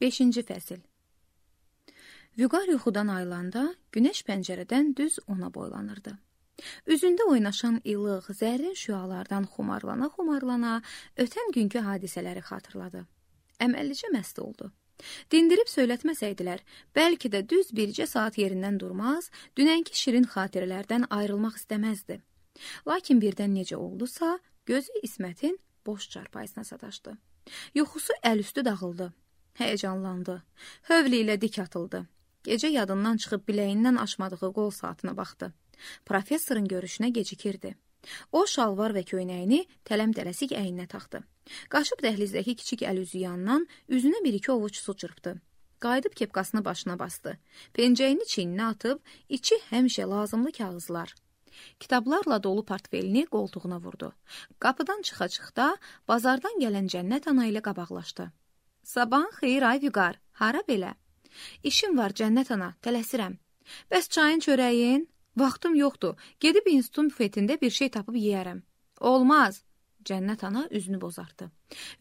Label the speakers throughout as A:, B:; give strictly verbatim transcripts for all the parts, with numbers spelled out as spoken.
A: beşinci fəsil. Vüqar yuxudan ayılanda günəş pəncərədən düz ona boylanırdı. Üzündə oynaşan ilıq, zərrin şüalardan xumarlana-xumarlana ötən günkü hadisələri xatırladı. Əməllicə məst oldu. Dindirib söyletməsəydilər, bəlkə də düz bircə saat yerindən durmaz, dünənki şirin xatirələrdən ayrılmaq istəməzdi. Lakin birdən necə oldusa, gözü İsmətin boş çarpayısına sataşdı. Yuxusu əlüstü dağıldı. Həyəcanlandı. Hövl ilə dik atıldı. Gecə yadından çıxıb biləyindən aşmadığı qol saatına baxdı. Professorun görüşünə gecikirdi. O, şalvar və köynəyini tələm-tələsik əyninə taxdı. Qaşıb dəhlizdəki kiçik əl üzü yandan üzünə bir-iki ovuc su çırpdı. Qayıdıb kepkasını başına bastı. Pencəyini çiyninə atıb, içi həmişə lazımlı kağızlar. Kitablarla dolu portfelini qoltuğuna vurdu. Qapıdan çıxa-çıxda bazardan gələn Cənnət ana ilə qabaqlaşdı. Sabahın xeyir ay Vüqar, hara belə? İşim var Cənnət ana, tələsirəm. Bəs çayın çörəyin? Vaxtım yoxdur, gedib institutun büfetində bir şey tapıb yeyərəm. Olmaz. Cənnət ana üzünü bozartdı.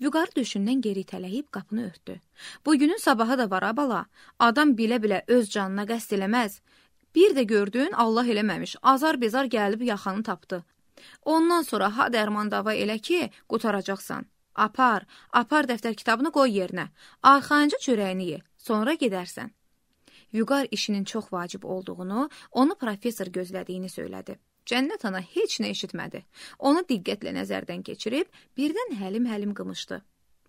A: Vüqarı döşündən geri itələyib qapını örtdü. Bugünün sabahı da var ha bala. Adam bilə-bilə öz canına qəsd eləməz. Bir də gördün, Allah eləməmiş, azar-bezar gəlib yaxanı tapdı. Ondan sonra ha dərman dava elə ki, qutaracaqsan. Apar, apar dəftər kitabını qoy yerinə. Arxayınca çörəyini ye, sonra gedərsən. Vüqar işinin çox vacib olduğunu, onu professor gözlədiyini söylədi. Cənnət ana heç nə eşitmədi. Onu diqqətlə nəzərdən keçirib, birdən həlim-həlim qımışdı.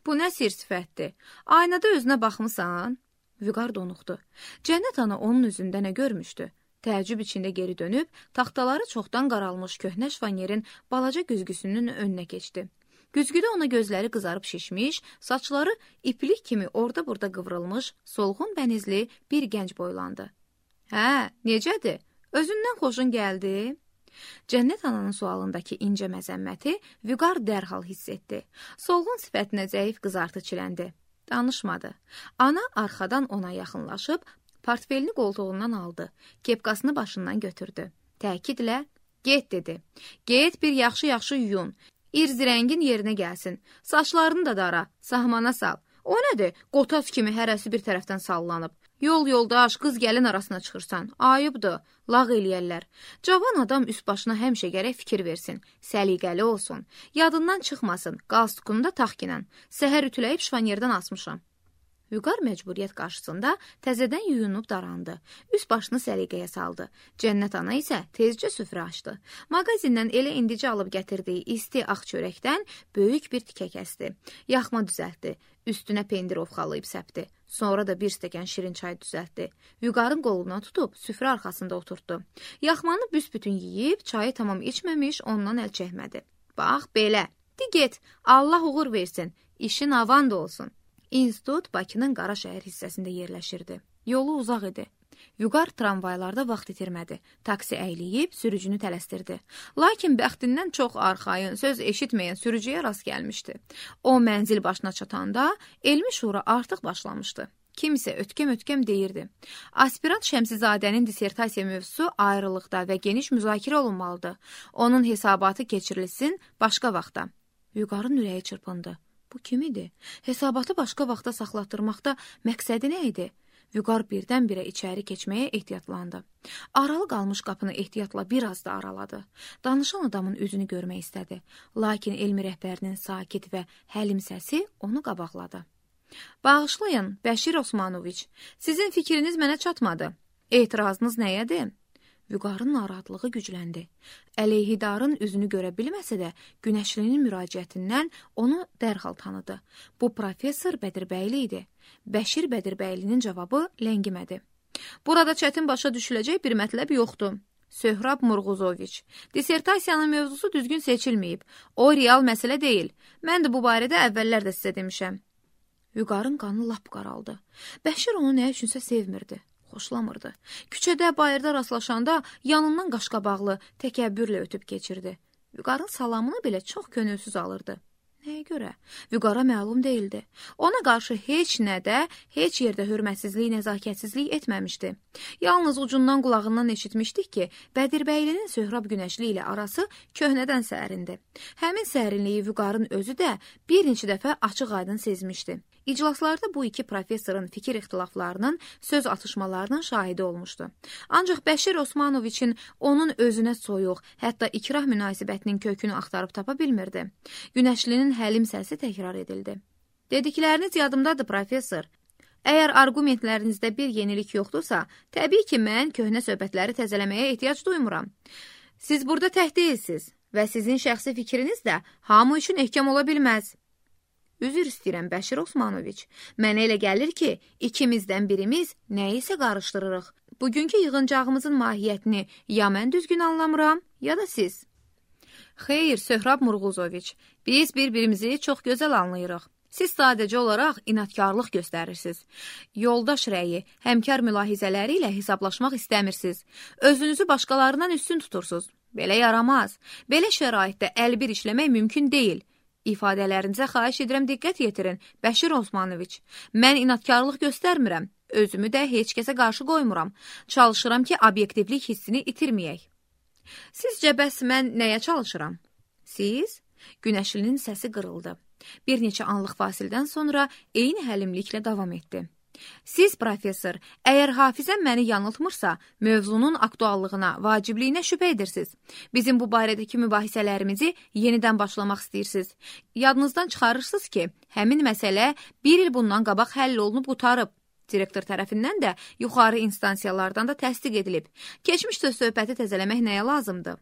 A: Bu nə sir sifətdir? Aynada özünə baxmısan? Vüqar donuqdu. Cənnət ana onun üzündə nə görmüşdü? Təəccüb içində geri dönüb, taxtaları çoxdan qaralmış köhnə şvanyerin balaca güzgüsünün önünə keçdi. Güzgüdə ona gözləri qızarıb şişmiş, saçları iplik kimi orada-burada qıvrılmış, solğun bənizli bir gənc boylandı. Hə, necədir? Özündən xoşun gəldi? Cənnət ananın sualındakı incə məzəmməti Vüqar dərhal hiss etdi. Solğun sifətinə zəif qızartı çiləndi. Danışmadı. Ana arxadan ona yaxınlaşıb, portfelini qoltuğundan aldı. Kepkasını başından götürdü. Təkidlə, get dedi. Get bir yaxşı-yaxşı yuyun. İrz rəngin yerinə gəlsin. Saçlarını da dara, sahmana sal. O nədir? Qotas kimi hərəsi bir tərəfdən sallanıb. Yol yoldaş, qız gəlin arasına çıxırsan. Ayıbdır, lağ eləyərlər. Cavan adam üst başına həmişə gərək fikir versin. Səliqəli olsun. Yadından çıxmasın. Qalstukunu da taxkinən. Səhər ütüləyib şvanyerdən asmışam. Vüqar məcburiyyət qarşısında təzədən yuyunub darandı. Üst başını səliqəyə saldı. Cənnət ana isə tezcə süfrə açdı. Mağazindən elə indicə alıb gətirdiyi isti ağ çörəkdən böyük bir tikə kəsdi. Yaxma düzəltdi. Üstünə pendir ovxalayıb səpdi. Sonra da bir stəkan şirin çay düzəltdi. Vüqarın qoluna tutub süfrə arxasında oturtdu. Yaxmanı büsbütün yeyib, çayı tamam içməmiş ondan əl çəkmədi. Bax, belə. Di get, Allah uğur versin. İşin avan da olsun. İnstitut Bakının Qaraşəhər hissəsində yerləşirdi. Yolu uzaq idi. Vüqar tramvaylarda vaxt itirmədi. Taksi əyləyib sürücünü tələsdirdi. Lakin bəxtindən çox arxayın, söz eşitməyən sürücüyə rast gəlmişdi. O mənzil başına çatanda elmi şura artıq başlamışdı. Kimsə ötkəm-ötkəm deyirdi. Aspirant Şəmsizadənin dissertasiya mövzusu ayrılıqda və geniş müzakirə olunmalıdır. Onun hesabatı keçirilsin başqa vaxtda. Vüqarın ürəyi çırpındı. Bu kim idi? Hesabatı başqa vaxta saxlatdırmaqda məqsədi nə idi? Vüqar birdən-birə içəri keçməyə ehtiyatlandı. Aralı qalmış qapını ehtiyatla bir az da araladı. Danışan adamın üzünü görmək istədi. Lakin elmi rəhbərinin sakit və həlim səsi onu qabaqladı. Bağışlayın, Bəşir Osmanoviç, sizin fikriniz mənə çatmadı. Etirazınız nəyədir? Vüqarın narahatlığı gücləndi. Əleyhidarın üzünü görə bilməsə də, Günəşlinin müraciətindən onu dərhal tanıdı. Bu professor Bədirbəyli idi. Bəşir Bədirbəylinin cavabı ləngimədi. Burada çətin başa düşüləcək bir mətləb yoxdur. Söhrab Murğuzoviç, dissertasiyanın mövzusu düzgün seçilməyib. O real məsələ deyil. Mən də bu barədə əvvəllər də sizə demişəm. Vüqarın qanı lap qaraldı. Bəşir onu nə üçünsə sevmirdi. Xoşlamırdı. Küçədə, bayırda rastlaşanda yanından qaşqabaqlı, təkəbbürlə ötüb keçirdi. Vüqarın salamını belə çox könülsüz alırdı. Nəyə görə? Vüqara məlum deyildi. Ona qarşı heç nədə, heç yerdə hörmətsizlik, nəzakətsizlik etməmişdi. Yalnız ucundan qulağından eşitmişdik ki, Bədirbəylinin Söhrab Günəşli ilə arası köhnədən sərindi. Həmin sərinliyi Vüqarın özü də bir neçə dəfə açıq-aydın sezmişdi. İclaslarda bu iki professorun fikir ixtilaflarının, söz atışmalarının şahidi olmuşdu. Ancaq Bəşir Osmanoviçin onun özünə soyuq, hətta ikrah münasibətinin kökünü axtarıb tapa bilmirdi. Günəşlinin həlim səsi təkrar edildi. Dedikləriniz yadımdadır, professor. Əgər argumentlərinizdə bir yenilik yoxdursa, təbii ki, mən köhnə söhbətləri təzələməyə ehtiyac duymuram. Siz burada tək deyilsiniz və sizin şəxsi fikriniz də hamı üçün ehkam ola bilməz. Üzr istəyirəm, Bəşir Osmanoviç. Mənə elə gəlir ki, ikimizdən birimiz nəyisə qarışdırırıq. Bugünkü yığıncağımızın mahiyyətini ya mən düzgün anlamıram, ya da siz. Xeyr, Söhrab Murğuzoviç, biz bir-birimizi çox gözəl anlayırıq. Siz sadəcə olaraq inatkarlıq göstərirsiniz. Yoldaş rəyi, həmkar mülahizələri ilə hesablaşmaq istəmirsiniz. Özünüzü başqalarından üstün tutursunuz. Belə yaramaz. Belə şəraitdə əlbir işləmək mümkün deyil. İfadələrinizə xahiş edirəm, diqqət yetirin, Bəşir Osmanoviç. Mən inatkarlıq göstərmirəm, özümü də heç kəsə qarşı qoymuram. Çalışıram ki, obyektivlik hissini itirməyək. Sizcə bəs mən nəyə çalışıram? Siz? Günəşlinin səsi qırıldı. Bir neçə anlıq fasildən sonra eyni həlimliklə davam etdi. Siz, professor, əgər hafizəm məni yanıltmırsa, mövzunun aktuallığına, vacibliyinə şübhə edirsiniz. Bizim bu barədəki mübahisələrimizi yenidən başlamaq istəyirsiniz. Yadınızdan çıxarırsınız ki, həmin məsələ bir il bundan qabaq həll olunub qutarıb. Direktor tərəfindən də yuxarı instansiyalardan da təsdiq edilib. Keçmişdə söhbəti təzələmək nəyə lazımdır?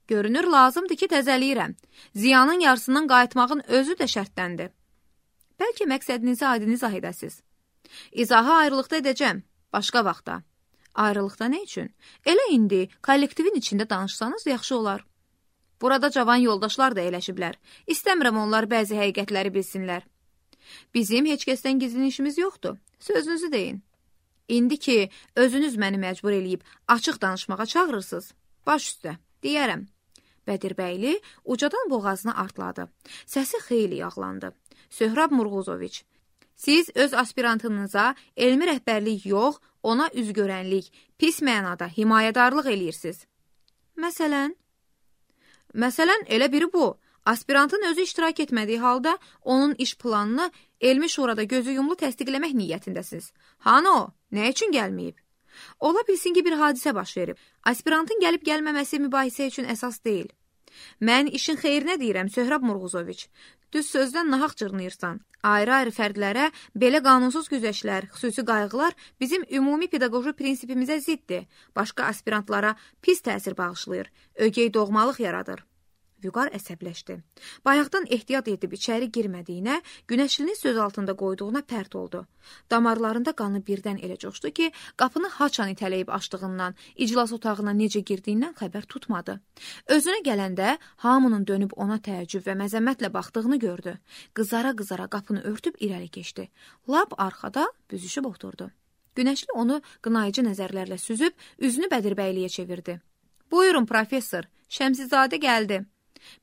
A: Görünür, lazımdır ki, təzəliyirəm. Ziyanın yarısından qayıtmağın özü də şərtdəndir. Bəlkə məqsədinizi aydın izah edəsiniz. İzahı ayrılıqda edəcəm, başqa vaxtda. Ayrılıqda nə üçün? Elə indi kollektivin içində danışsanız yaxşı olar. Burada cavan yoldaşlar da eləşiblər. İstəmirəm onlar bəzi həqiqətləri bilsinlər. Bizim heç kəsdən gizlin işimiz yoxdur. Sözünüzü deyin. İndi ki, özünüz məni məcbur eləyib açıq danışmağa çağırırsınız. Baş üstə, deyərəm. Bədirbəyli ucadan boğazını artladı. Səsi xeyli yağlandı. Söhrab Murğuzoviç, siz öz aspirantınıza elmi rəhbərlik yox, ona üzgörənlik, pis mənada himayədarlıq eləyirsiniz. Məsələn? Məsələn, elə biri bu. Aspirantın özü iştirak etmədiyi halda onun iş planını elmi şurada gözü yumlu təsdiqləmək niyyətindəsiniz. Hanı o? Nə üçün gəlməyib? Ola bilsin ki, bir hadisə baş verib. Aspirantın gəlib gəlməməsi mübahisə üçün əsas deyil. Mən işin xeyrinə deyirəm, Söhrab Murğuzoviç. Düz sözdən nahaq cırnıyırsan. Ayrı-ayrı fərdlərə belə qanunsuz güzəştlər, xüsusi qayğılar bizim ümumi pedaqoji prinsipimizə ziddir. Başqa aspirantlara pis təsir bağışlayır, ögey doğmalıq yaradır. Vüqar əsəbləşdi. Bayaqdan ehtiyat edib içəri girmədiyinə, Günəşlinin söz altında qoyduğuna pərt oldu. Damarlarında qanı birdən elə coşdu ki, qapını haçan itələyib açdığından, iclas otağına necə girdiyindən xəbər tutmadı. Özünə gələndə hamının dönüb ona təəccüb və məzəmmətlə baxdığını gördü. Qızara-qızara qapını örtüb irəli keçdi. Lap arxada büzüşüb oturdu. Günəşli onu qınayıcı nəzərlərlə süzüb, üzünü Bədirbəyliyə çevirdi. Buyurun, professor, Şəmsizadə gəldi.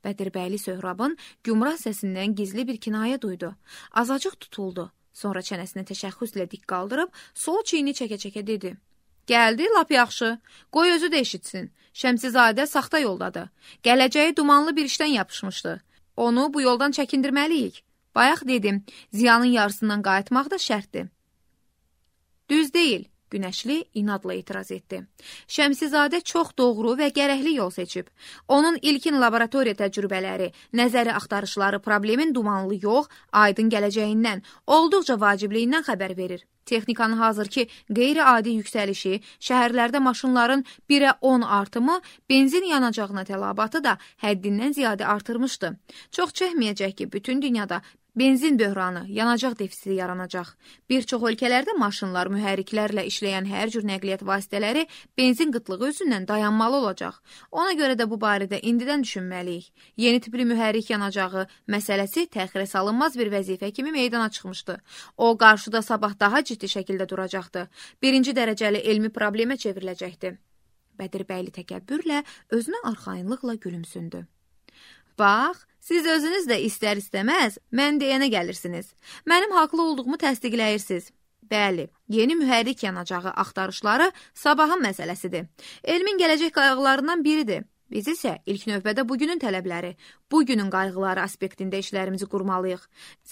A: Bədirbəyli Söhrabın gümrah səsindən gizli bir kinayə duydu. Azacıq tutuldu. Sonra çənəsini təşəxxüslə dik qaldırıb, sol çiyini çəkə-çəkə dedi. Gəldi, lap yaxşı. Qoy özü də eşitsin. Şəmsizadə saxta yoldadır. Gələcəyi dumanlı bir işdən yapışmışdı. Onu bu yoldan çəkindirməliyik. Bayaq dedim, ziyanın yarısından qayıtmaq da şərtdir. Düz deyil. Günəşli inadla etiraz etdi. Şəmsizadə çox doğru və gərəkli yol seçib. Onun ilkin laboratoriya təcrübələri, nəzəri axtarışları problemin dumanlı yox, aydın gələcəyindən, olduqca vacibliyindən xəbər verir. Texnikanın hazırki qeyri-adi yüksəlişi, şəhərlərdə maşınların birə on artımı, benzin yanacağına tələbatı da həddindən ziyadə artırmışdı. Çox çəkməyəcək ki, bütün dünyada benzin böhranı, yanacaq defisiti yaranacaq. Bir çox ölkələrdə maşınlar, mühərriklərlə işləyən hər cür nəqliyyat vasitələri benzin qıtlığı üzündən dayanmalı olacaq. Ona görə də bu barədə indidən düşünməliyik. Yeni tipli mühərrik yanacağı məsələsi təxirə salınmaz bir vəzifə kimi meydana çıxmışdı. O, qarşıda sabah daha ciddi şəkildə duracaqdı. Birinci dərəcəli elmi problemə çevriləcəkdi. Bədirbəyli təkəbbürlə özünə arxayınlıqla gülümsündü. Bax, Siz özünüz də istər-istəməz mən deyənə gəlirsiniz. Mənim haqlı olduğumu təsdiqləyirsiniz. Bəli, yeni mühərrik yanacağı axtarışları sabahın məsələsidir. Elmin gələcək qayğılarından biridir. Biz isə ilk növbədə bugünün tələbləri, bugünün qayğıları aspektində işlərimizi qurmalıyıq.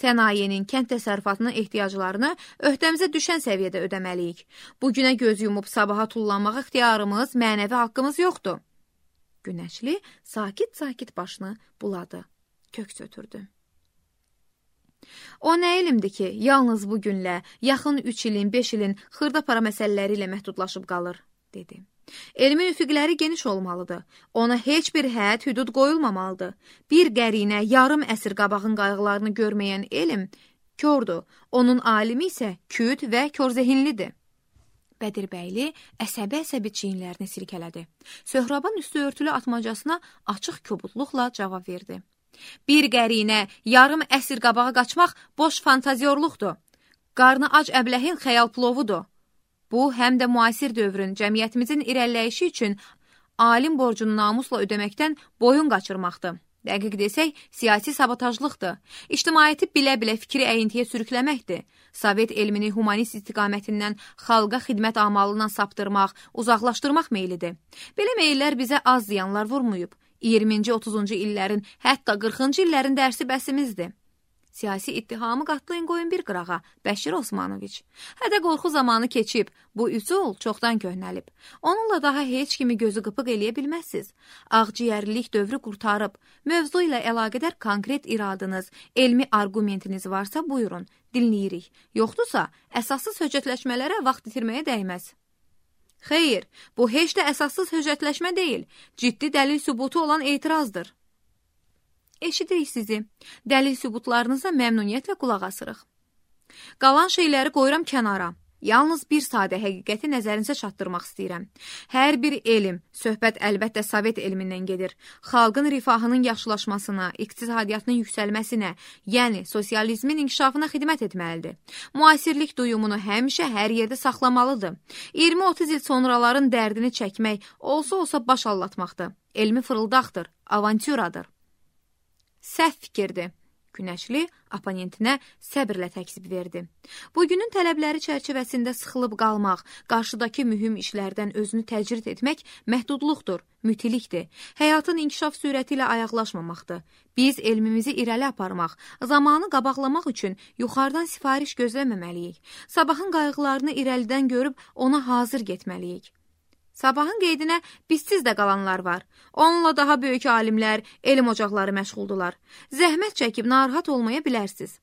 A: Sənayenin, kənd təsərrüfatının ehtiyaclarını öhdəmizə düşən səviyyədə ödəməliyik. Bugünə göz yumub sabaha tullanmaq ixtiyarımız, mənəvi haqqımız yoxdur. Günəşli sakit-sakit başını buladı, köks ötürdü. O nə elmdir ki, yalnız bu günlə, yaxın üç ilin, beş ilin xırda para məsələləri ilə məhdudlaşıb qalır, dedi. Elmin üfüqləri geniş olmalıdır. Ona heç bir hədd, hüdud qoyulmamalıdır. Bir qərinə, yarım əsr qabağın qayğılarını görməyən elm kördür. Onun alimi isə küt və körzehinlidir. Bədirbəyli əsəbi-əsəbi çiyinlərini silkələdi. Söhrabın üstü örtülü atmacasına açıq kobudluqla cavab verdi. Bir qərinə, yarım əsr qabağa qaçmaq boş fantaziyorluqdur. Qarnı ac əbləhin xəyal plovudur. Bu, həm də müasir dövrün cəmiyyətimizin irəliləyişi üçün alim borcunu namusla ödəməkdən boyun qaçırmaqdır. Dəqiq desək, siyasi sabotajlıqdır. İctimaiyyəti bilə-bilə fikri əyintiyə sürükləməkdir. Sovet elmini humanist istiqamətindən xalqa xidmət amalından saptırmaq, uzaqlaşdırmaq meylidir. Belə meyillər bizə az ziyanlar vurmayıb. iyirminci otuzuncu illərin, hətta qırxıncı illərin dərsi bəsimizdir. Siyasi ittihamı qatlayın qoyun bir qırağa, Bəşir Osmanoviç. Hədə qorxu zamanı keçib, bu üsul çoxdan köhnəlib. Onunla daha heç kimi gözü qıpıq eləyə bilməzsiz. Ağciyərlilik dövrü qurtarıb, mövzu ilə əlaqədar konkret iradınız, elmi argumentiniz varsa buyurun, dinləyirik. Yoxdursa, əsassız höccətləşmələrə vaxt itirməyə dəyməz. Xeyr, bu heç də əsassız höccətləşmə deyil, ciddi dəlil sübutu olan etirazdır. Eşidirik sizi. Dəlil sübutlarınıza məmnuniyyətlə qulaq asırıq. Qalan şeyləri qoyuram kənara. Yalnız bir sadə həqiqəti nəzərinizə çatdırmaq istəyirəm. Hər bir elm, söhbət əlbəttə Sovet elmindən gedir. Xalqın rifahının yaxşılaşmasına, iqtisadiyyatının yüksəlməsinə, yəni sosializmin inkişafına xidmət etməlidir. Müasirlik duyumunu həmişə hər yerdə saxlamalıdır. iyirmi otuz il sonraların dərdini çəkmək olsa-olsa baş allatmaqdır. Elmi fırıldaqdır, avantüradır. Səhv fikirdir. Günəşli oponentinə səbirlə təksib verdi. Bugünün tələbləri çərçivəsində sıxılıb qalmaq, qarşıdakı mühüm işlərdən özünü təcrid etmək məhdudluqdur, mütilikdir. Həyatın inkişaf sürəti ilə ayaqlaşmamaqdır. Biz elmimizi irəli aparmaq, zamanı qabaqlamaq üçün yuxarıdan sifariş gözləməməliyik. Sabahın qayğılarını irəlidən görüb ona hazır getməliyik. Sabahın qeydinə bizsiz də qalanlar var. Onunla daha böyük alimlər, elm ocaqları məşğuldular. Zəhmət çəkib narahat olmaya bilərsiz.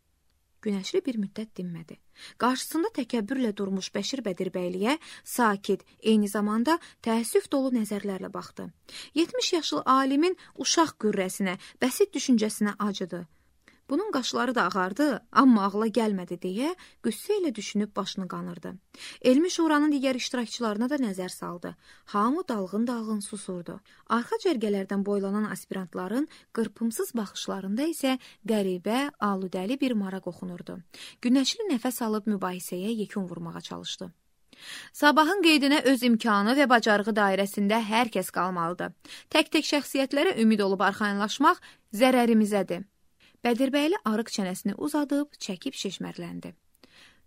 A: Günəşli bir müddət dinmədi. Qarşısında təkəbbürlə durmuş Bəşir Bədirbəyliyə sakit, eyni zamanda təəssüf dolu nəzərlərlə baxdı. yetmiş yaşlı alimin uşaq qürrəsinə, bəsit düşüncəsinə acıdı. Bunun qaşları da ağardı, amma ağla gəlmədi deyə qüssə ilə düşünüb başını qanırdı. Elmi şuranın digər iştirakçılarına da nəzər saldı. Hamı dalğın-dalğın susurdu. Arxa cərgələrdən boylanan aspirantların qırpımsız baxışlarında isə qəribə, aludəli bir maraq oxunurdu. Günəşli nəfəs alıb mübahisəyə yekun vurmağa çalışdı. Sabahın qeydinə öz imkanı və bacarığı dairəsində hər kəs qalmalıdır. Tək-tək şəxsiyyətlərə ümid olub arxayınlaşmaq zərərimizədir. Bədirbəyli arıq çənəsini uzadıb, çəkib şişmərləndi.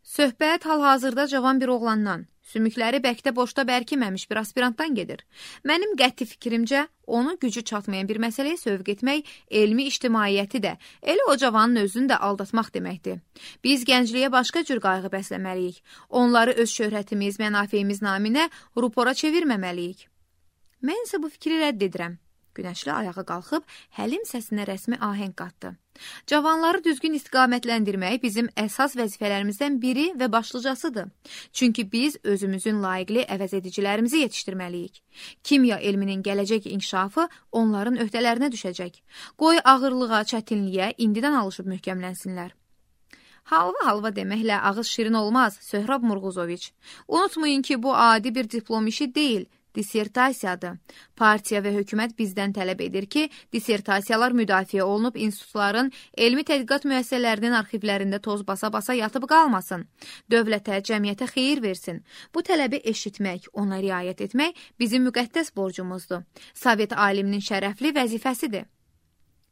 A: Söhbət hal-hazırda cavan bir oğlandan, sümükləri bəkdə boşda bərkiməmiş bir aspirantdan gedir. Mənim qəti fikrimcə, onu gücü çatmayan bir məsələyə sövq etmək, elmi ictimaiyyəti də, elə o cavanın özünü də aldatmaq deməkdir. Biz gəncliyə başqa cür qayğı bəsləməliyik. Onları öz şöhrətimiz, mənafeyimiz naminə rupora çevirməməliyik. Mən isə bu fikri rədd edirəm. Günəşli ayağa qalxıb, həlim səsinə rəsmi ahəng qatdı. Cavanları düzgün istiqamətləndirmək bizim əsas vəzifələrimizdən biri və başlıcasıdır. Çünki biz özümüzün layiqli əvəzedicilərimizi yetişdirməliyik. Kimya elminin gələcək inkişafı onların öhdələrinə düşəcək. Qoy ağırlığa, çətinliyə indidən alışıb möhkəmlənsinlər. Halva-halva deməklə ağız şirin olmaz, Söhrab Murğuzoviç. Unutmayın ki, bu adi bir diplom işi deyil, dissertasiyadır. Partiya və hökumət bizdən tələb edir ki, dissertasiyalar müdafiə olunub institutların, elmi tədqiqat müəssisələrinin arxivlərində toz basa-basa yatıb qalmasın. Dövlətə, cəmiyyətə xeyir versin. Bu tələbi eşitmək, ona riayət etmək bizim müqəddəs borcumuzdur. Sovet aliminin şərəfli vəzifəsidir.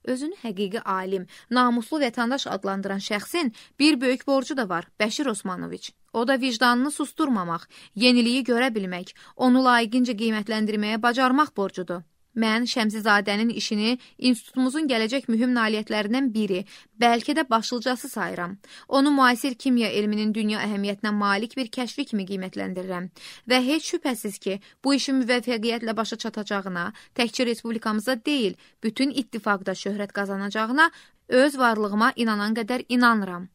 A: Özünü həqiqi alim, namuslu vətəndaş adlandıran şəxsin bir böyük borcu da var, Bəşir Osmanoviç. O da vicdanını susturmamaq, yeniliyi görə bilmək, onu layiqincə qiymətləndirməyə bacarmaq borcudur. Mən Şəmsizadənin işini institutumuzun gələcək mühüm nailiyyətlərindən biri, bəlkə də başlıcası sayıram. Onu müasir kimya elminin dünya əhəmiyyətinə malik bir kəşfi kimi qiymətləndirirəm və heç şübhəsiz ki, bu işin müvəffəqiyyətlə başa çatacağına, təkcə respublikamızda deyil, bütün ittifaqda şöhrət qazanacağına öz varlığıma inanan qədər inanıram.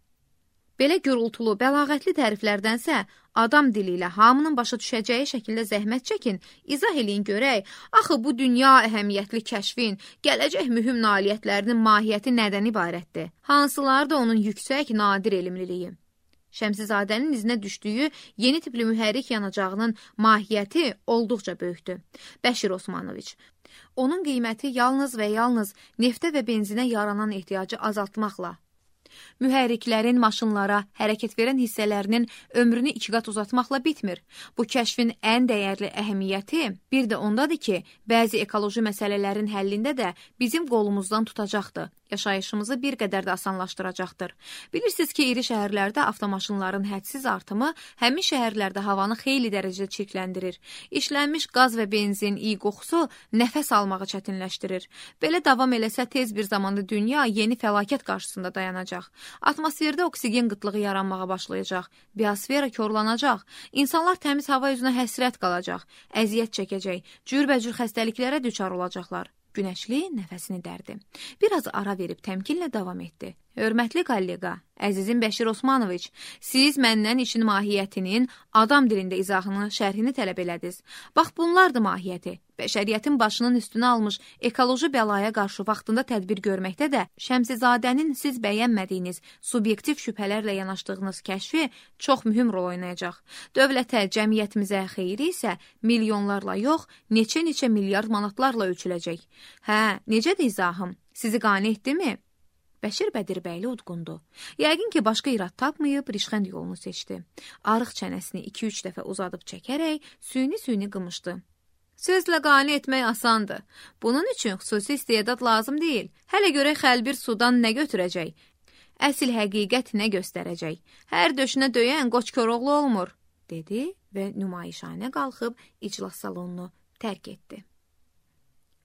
A: Belə gürültülü, bəlağətli təriflərdənsə, adam dili ilə hamının başa düşəcəyi şəkildə zəhmət çəkin, izah eləyin görək, axı bu dünya əhəmiyyətli kəşfin, gələcək mühüm nailiyyətlərinin mahiyyəti nədən ibarətdir? Hansıları da onun yüksək, nadir elmliliyi? Şəmsizadənin izinə düşdüyü yeni tipli mühərrik yanacağının mahiyyəti olduqca böyükdür. Bəşir Osmanoviç. Onun qiyməti yalnız və yalnız neftə və benzinə yaranan ehtiyacı azaltmaqla, mühərriklərin maşınlara hərəkət verən hissələrinin ömrünü iki qat uzatmaqla bitmir. Bu kəşfin ən dəyərli əhəmiyyəti bir də ondadır ki, bəzi ekoloji məsələlərin həllində də bizim qolumuzdan tutacaqdır. Yaşayışımızı bir qədər də asanlaşdıracaqdır. Bilirsiniz ki, iri şəhərlərdə avtomaşınların hədsiz artımı həmin şəhərlərdə havanı xeyli dərəcədə çirkləndirir. İşlənmiş qaz və benzin, iyi qoxusu nəfəs almağı çətinləşdirir. Belə davam eləsə tez bir zamanda dünya yeni fəlakət qarşısında dayanacaq. Atmosferdə oksigen qıtlığı yaranmağa başlayacaq. Biosfera korlanacaq. İnsanlar təmiz hava üzünə həsrət qalacaq. Əziyyət çəkəcək. Cürbəcür xəstəliklərə düçar olacaqlar. Günəşli nəfəsini dərdi. Biraz ara verib təmkinlə davam etdi. Hörmətli kollega, əzizim Bəşir Osmanoviç, siz məndən işin mahiyyətinin adam dilində izahını, şərhini tələb elədiniz. Bax, bunlardır mahiyyəti. Bəşəriyyətin başının üstünə almış ekoloji bəlaya qarşı vaxtında tədbir görməkdə də Şəmsizadənin siz bəyənmədiyiniz, subyektiv şübhələrlə yanaşdığınız kəşfi çox mühüm rol oynayacaq. Dövlətə, cəmiyyətimizə xeyri isə milyonlarla yox, neçə-neçə milyard manatlarla ölçüləcək. Hə, necədir izahım? Sizi qane etdimi? Bəşir Bədirbəyli udqundu. Yəqin ki, başqa irad tapmayıb, rişxənd yolunu seçdi. Arıq çənəsini iki üç dəfə uzadıb çəkərək, süyni-süyni qımışdı. Sözlə qane etmək asandır. Bunun üçün xüsusi istedad lazım deyil. Hələ görək xəlbir sudan nə götürəcək? Əsil həqiqət nə göstərəcək? Hər döşünə döyən qoç Koroğlu olmur, dedi və nümayişanə qalxıb iclas salonunu tərk etdi.